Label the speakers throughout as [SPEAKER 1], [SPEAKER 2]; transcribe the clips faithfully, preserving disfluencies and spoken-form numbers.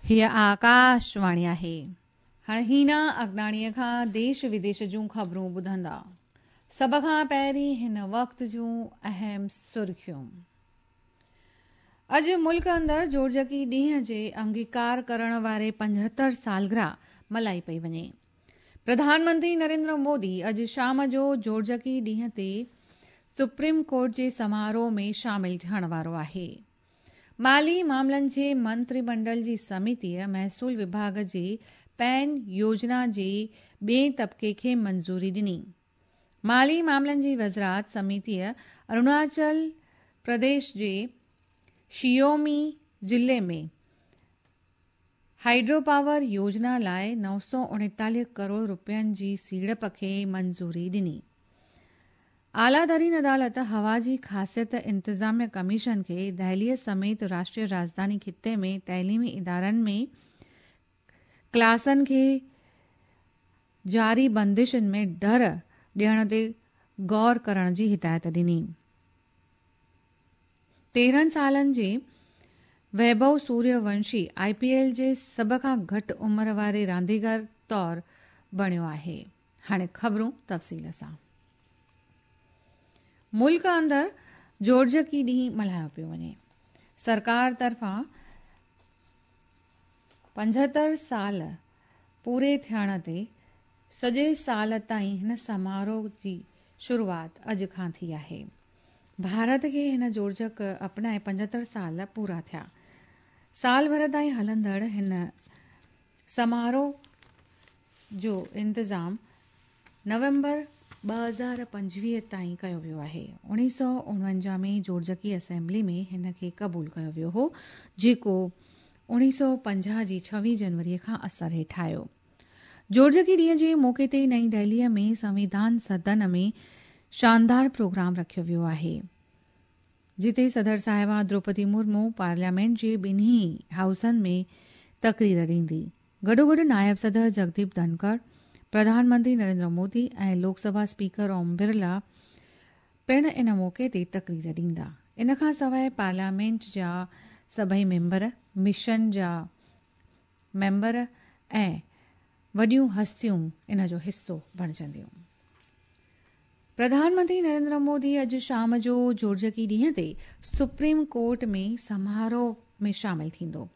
[SPEAKER 1] हीअ आकाशवाणी आहे। हाणे हीना अगनाणीअ खां देश विदेश जूं ख़बरूं ॿुधंदा। सभ खां पहिरीं हिन वक़्त जूं अहम सुर्खियूं। अॼु मुल्क अंदरि जोड़जकी ॾींहं जे अंगीकार करण वारे पंजहतरि सालगिरह मल्हाई पई वञे। प्रधानमंत्री नरेंद्र मोदी अॼु शाम जो जोड़जकी ॾींहं ते सुप्रीम कोर्ट जे समारोह में शामिल थियण वारो आहे। माली मामलनि जे मंत्रिमंडल जी समितीअ महसूल विभाग जे पैन योजना जे ॿिए तबिके खे मंज़ूरी ॾिनी। माली मामलनि जी वज़ारत समितीअ अरुणाचल प्रदेश जे शियोमी ज़िले में हाइड्रो पावर योजना लाइ नौ सौ उणेतालीह करोड़ रुपयनि जी सीड़प खे मंज़ूरी ॾिनी। आला तरीन अदालत हवा जी ख़ासियत इंतिज़ामिया कमीशन खे दिल्लीअ समेत राष्ट्रीय राजधानी ख़िते में तइलीमी इदारनि में क्लासनि खे जारी बंदिशुनि में ढर ॾियण ते गौर करण जी हिदायत ॾिनी। तेरहं सालनि जे Vaibhav Suryavanshi I P L जे सभ खां घटि उमिरि वारे रांदीगर तौर बणियो आहे। हाणे ख़बरूं तफ़सील सां। मुल्क अंदरि जोड़जकी ॾींहुं मल्हायो पियो वञे। सरकार तरफ़ां पंजहतरि साल पूरे थियण ते सॼे साल ताईं हिन समारोह जी शुरूआत अॼु खां थी आहे। भारत खे हिन जोड़जक अपनाए पंजहतरि साल पूरा थिया। साल भर ताईं हलंदड़ हिन समारोह जो इंतज़ाम नवंबर ॿ हज़ार पंजवीह ताईं कयो वियो आहे। उणिवीह सौ उणवंजाह में जोड़जकी असेंबली में हिन खे क़बूल कयो वियो हो, जेको उणिवीह सौ पंजाह जी छवीह जनवरीअ खां असर हेठि आयो। जोड़जकी ॾींहं जे मौक़े ते नई दिल्लीअ में संविधान सदन में शानदार प्रोग्राम रखियो वियो आहे, जिते सदर साहिबा द्रौपदी मुर्मू पार्लियामेंट जे ॿिन्ही हाउसनि में तकरीर ॾींदी। गॾोगॾु नायब सदर जगदीप धनखड़, प्रधानमंत्री नरेंद्र मोदी ऐं लोकसभा स्पीकर ओम बिरला पिणु इन मौक़े ते तकरीर ॾींदा। इन खां सवाइ पार्लियामेंट जा सभई मेंबर, मिशन जा मेंबर ऐं वॾियूं हस्तियूं इन जो हिसो बणिजंदियूं। प्रधानमंत्री नरेंद्र मोदी अॼु शाम जो जोड़जकी ॾींहं ते सुप्रीम कोर्ट में समारोह में शामिल थींदो।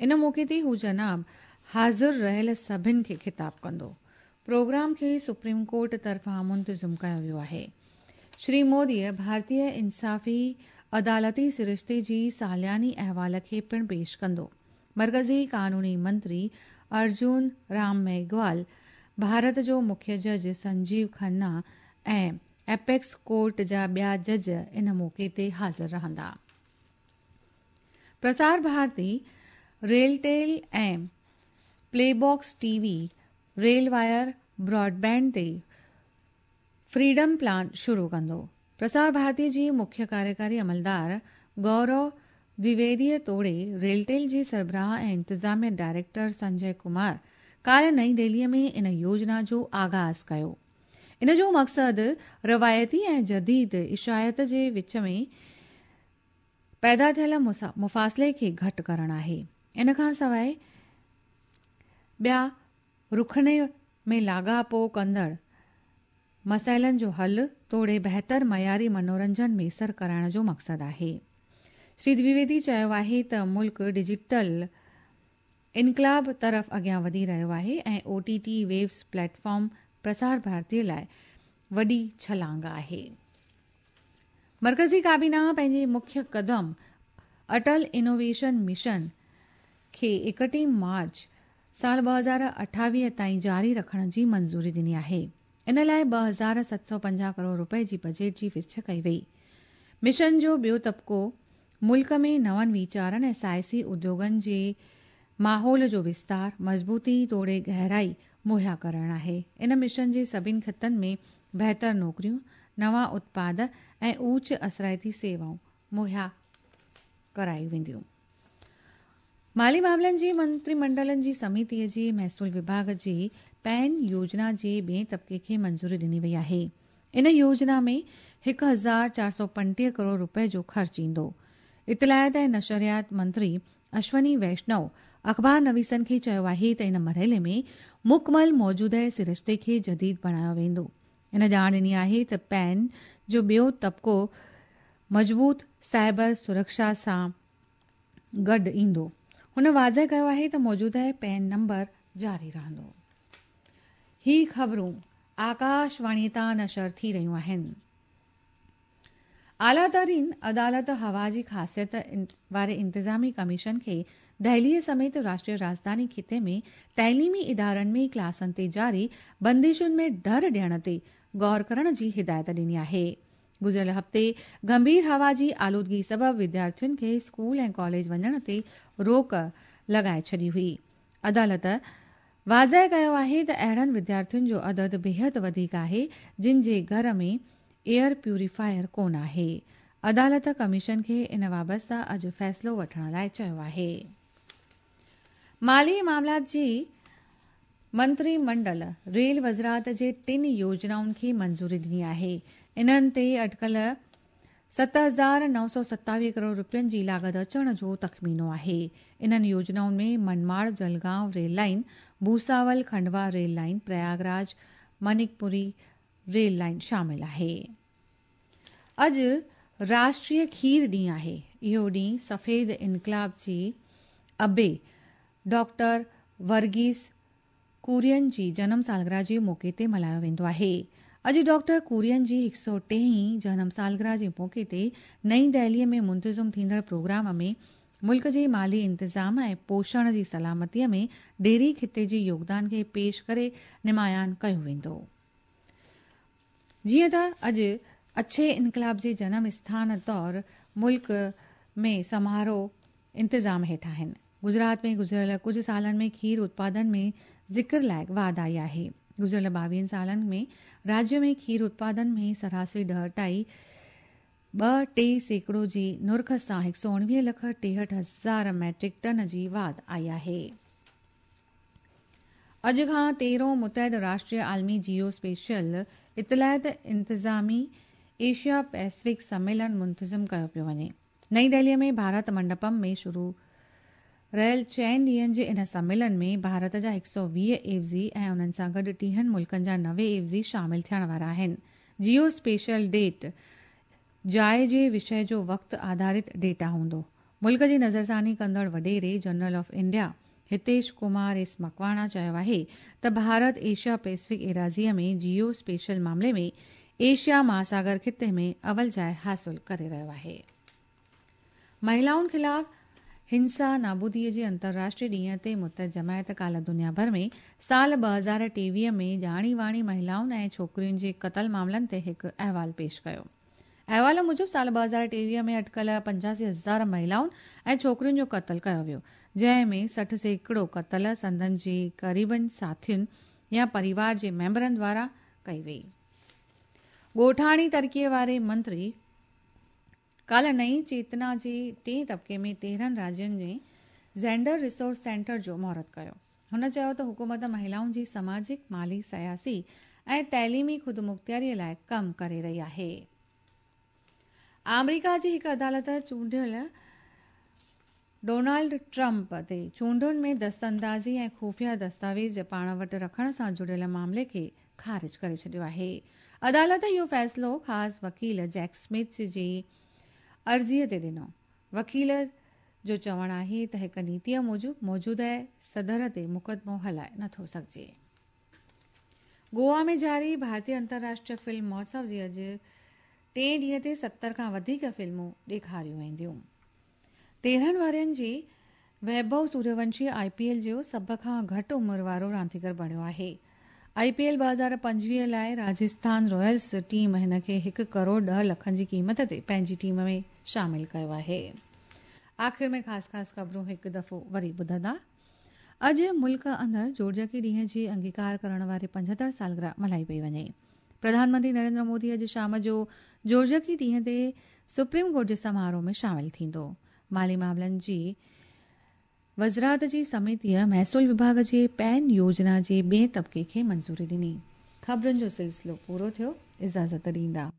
[SPEAKER 1] इन मौक़े ते हू जनाब हाज़िर रहियल सभिनि खे ख़िताब कंदो। प्रोग्राम खे सुप्रीम कोर्ट तरफ़ां मुंतज़िम कयो वियो आहे। श्री मोदीअ भारतीय इंसाफ़ी अदालती सरिश्ते जी सालियानी अहवाल खे पिणु पेश कंदो। मरकज़ी कानूनी मंत्री अर्जुन राम मेघवाल, भारत जो मुख्य जज संजीव खन्ना ऐं एपेक्स कोर्ट जा ॿिया जज इन मौक़े ते हाज़िर रहंदा। प्रसार भारती, रेलटेल ऐं प्लेबॉक्स टीवी रेलवायर ब्रॉडबैंड ते फ्रीडम प्लान शुरू कंदो। प्रसार भारती जी मुख्य कार्यकारी अमलदार गौरव द्विवेदीअ तोड़े रेलटेल जे सरबराह ऐं इंतिज़ामिया डायरेक्टर संजय कुमार काल्ह नई दिल्लीअ में इन योजना जो आगाज़ कयो। इन जो मक़सदु रवायती ऐं जदीद इशायत जे विच में पैदा थियल मुफ़ासिले खे घटि करणु आहे। इन खां सवाइ ॿिया रुखनि में लाॻापो कंदड़ मसाइलनि जो हल तोड़े बहितर मयारी मनोरंजन मयसर कराइण जो मक़सदु आहे। श्री द्विवेदी चयो आहे त मुल्क डिजिटल इनकलाब तरफ़ अॻियां वधी रहियो आहे ऐं O T T waves platform Prasar Bharati लाइ वॾी छलांग आहे। मरकज़ी काबीना पंहिंजे मुख्य कदम अटल इनोवेशन मिशन खे एकटीह मार्च साल ॿ हज़ार अठावीह ताईं जारी रखण जी मंज़ूरी ॾिनी आहे। इन लाइ ॿ हज़ार सत सौ पंजाह करोड़ रुपए जी बजट जी विछ कई वई। मिशन जो ॿियो तबिको मुल्क में नवनि वीचारनि ऐं साइंसी उद्योगनि जे माहौल जो विस्तार, मज़बूती तोड़े गहराई मुहैया करणु आहे। इन मिशन जे सभिनी ख़ितनि में बहितर नौकरियूं, नवां उत्पाद ऐं ऊच असराइती सेवाऊं मुहैया करायूं वेंदियूं। माली मामलनि जी मंत्रिमंडलनि जी समितीअ जी महसूल विभाग जी पैन योजना जे ॿिए तबिके खे मंज़ूरी ॾिनी वई आहे। इन योजना में हिकु हज़ार चारि सौ पंटीह करोड़ रुपए जो ख़र्च ईंदो। इतलायत ऐं नशरियात मंत्री अश्वनी वैष्णव अख़बार नवीसनि खे चयो आहे त इन मरहले में मुकमल मौजूदा सरिश्ते खे जदीद बणायो वेंदो। हिन ॼाण ॾिनी आहे त पैन जो ॿियो तबिको मज़बूत साइबर सुरक्षा सां गॾु ईंदो। हुन वाज़ेह कयो आहे त मौजूदा पैन नंबर जारी रहंदो। ही ख़बरूं आकाशवाणी तां नशर थी रहियूं आहिनि। आला तरीन अदालत हवा जी ख़ासियत वारे इंतिज़ामी कमीशन खे दिल्लीअ समेत राष्ट्रीय राजधानी ख़िते में तइलीमी इदारनि में क्लासनि ते जारी बंदिशुनि में ढर ॾियण ते गौर करण जी हिदायत ॾिनी आहे। गुज़िरियल हफ़्ते गंभीर हवा जी आलूदगी सबबि विद्यार्थियुनि खे स्कूल ऐं कॉलेज वञण ते रोक लॻाए छॾी हुई। अदालत वाज़ेह कयो आहे त अहिड़नि विद्यार्थियुनि जो अदद बेहद वधीक आहे जिन जे घर में एयर प्यूरीफायर कोन आहे। अदालत कमीशन खे इन वाबस्ता अॼु फ़ैसिलो वठण लाइ चयो आहे। माली मामलात जी मंत्रीमंडल रेल वज़ारत जे टिनि योजनाउनि खे मंज़ूरी ॾिनी आहे। इन्हनि ते अटकल सत हज़ार नौ सौ सतावीह करोड़ रुपयनि जी लागत अचण जो तख़मीनो आहे। इन्हनि योजनाउनि में Manmad Jalgaon rail line, Bhusawal Khandwa rail line, Prayagraj Manikpuri rail line शामिल आहे। अॼु राष्ट्रीय खीर ॾींहुं आहे। इहो ॾींहुं सफ़ेद इनकलाब जी अबे डॉक्टर वर्गीस कुरियन जी जनम सालगिरह जे मौक़े ते मल्हायो वेंदो आहे। अॼु डॉक्टर कुरियन जी हिकु सौ टेहीं जनम सालगिरह जे मौक़े ते नई दिल्लीअ में मुंतज़िम थींदड़ प्रोग्राम में मुल्क जे माली इंतिज़ाम ऐं पोषण जी सलामतीअ में डेयरी ख़िते जे योगदान खे पेश करे नुमायान कयो वेंदो। जीअं त अॼु अच्छे इनकलाब जे जनम स्थान तौर मुल्क में समारोह इंतिज़ाम हेठि आहिनि। गुजरात में गुज़िरियल कुझु सालनि में खीर उत्पादन में ज़िक्र लाइक़ वाध आई आहे। गुज़िरियल ॿावीहनि सालनि में राज्य में खीर उत्पादन में सरासरी ॾह ढाई ॿ टे सैकड़ो जी नुर्ख सां हिकु सौ उणिवीह लख टेहठि हज़ार मैट्रिक टन जी वाध आई आहे। अॼु खां तेरहों मुतहद राष्ट्रीय आलमी जियो स्पेशल इतलात इंतिज़ामी एशिया पैसिफिक सम्मेलन मुंतज़िम कयो पियो वञे। नई दिल्लीअ में भारत मंडपम में शुरू रहियल चइनि ॾींहंनि जे इन सम्मेलन में भारत जा हिकु सौ वीह एवज़ी ऐं उन्हनि सां गॾु टीहनि मुल्कनि जा नवे एवज़ी शामिल थियण वारा आहिनि। जियो स्पेशल डेट जाइ जे विषय जो वक़्तु आधारित डेटा हूंदो। मुल्क जी नज़रसानी कंदड़ वॾेरे general of India Hitesh Kumar S Makwana चयो आहे त भारत एशिया पैसिफिक एराज़ीअ में जियो स्पेशल मामले में एशिया महासागर ख़िते में अवल जाइ हासिल करे रहियो आहे। महिलाउनि ख़िलाफ़ हिंसा नाबूदीअ जे अंतर्राष्ट्रीय ॾींहं ते मुतहद जमायत काल्ह दुनिया भर में साल ॿ हज़ार टेवीह में ॼाणी वाणी महिलाउनि ऐं छोकिरियुनि जे क़तल मामलनि ते हिकु अहिवाल पेश कयो। अहिवाल मूजिबि साल ॿ हज़ार टेवीह में अटकल पंजासी हज़ार महिलाउनि ऐं छोकिरियुनि जो क़तल कयो वियो, जंहिं में सठि सैकड़ो क़तल संदन जे क़रीबनि साथियुनि या परिवार जे मेंबरनि द्वारा कई वई। ॻोठाणी तरक़ीअ वारे मंत्री काल्ह नई चेतना जे टे तबिके में तेरहं राज्युनि जे जेंडर रिसोर्स सेंटर जो मुहूर्त कयो। हुन चयो त हुकूमत महिलाउनि जी समाजिक, माली, सियासी ऐं तइलीमी ख़ुदमुख़्तियारीअ लाइ कमु करे रही आहे। आमेरिका जी हिकु अदालत चूंडियल डोनाल्ड ट्रंप ते चूंडुनि में दस्तअंदाज़ी ऐं ख़ुफ़िया दस्तावेज़ पाण वटि रखण सां जुड़ियल मामले खे ख़ारिज करे छॾियो आहे। अदालत इहो फ़ैसिलो ख़ासि वकील जैक स्मिथ जी अर्ज़ीअ ते ॾिनो। वकील जो चवणु आहे त हिकु नीतीअ मूजिबि मौजूदा सदर ते मुक़दमो हलाए नथो सघिजे। गोवा में जारी भारतीय अंतर्राष्ट्रीय फिल्म महोत्सव जी अॼु टे ॾींहं ते सतरि खां वधीक फिल्मूं ॾेखारियूं वेंदियूं। तेरहं वरनि जी Vaibhav Suryavanshi I P L जो सभ खां घटि उमिरि वारो रांदीगर बणियो आहे। I P L ॿ हज़ार पंजवीह लाइ राजस्थान रॉयल्स टीम हिन खे हिकु करोड़ ॾह लखनि जी क़ीमत ते पंहिंजी टीम में शामिल कयो आहे। आख़िर में ख़ासि ख़ासि ख़बरूं हिकु दफ़ो वरी ॿुधंदा। अॼु मुल्क अंदरि जोड़जकी ॾींहं जी अंगीकार करण वारी पंजहतरि सालगिरह मल्हाई पई वञे। प्रधानमंत्री नरेंद्र मोदी अॼु शाम जो जोड़जकी ॾींहं ते सुप्रीम कोर्ट जे समारोह में शामिल थींदो। माली मामलनि जी वज़ारत जी समितीअ महसूल विभाग जे पैन योजना जे ॿिए तबिके खे मंज़ूरी ॾिनी। ख़बरुनि जो सिलसिलो पूरो थियो। इजाज़त ॾींदा।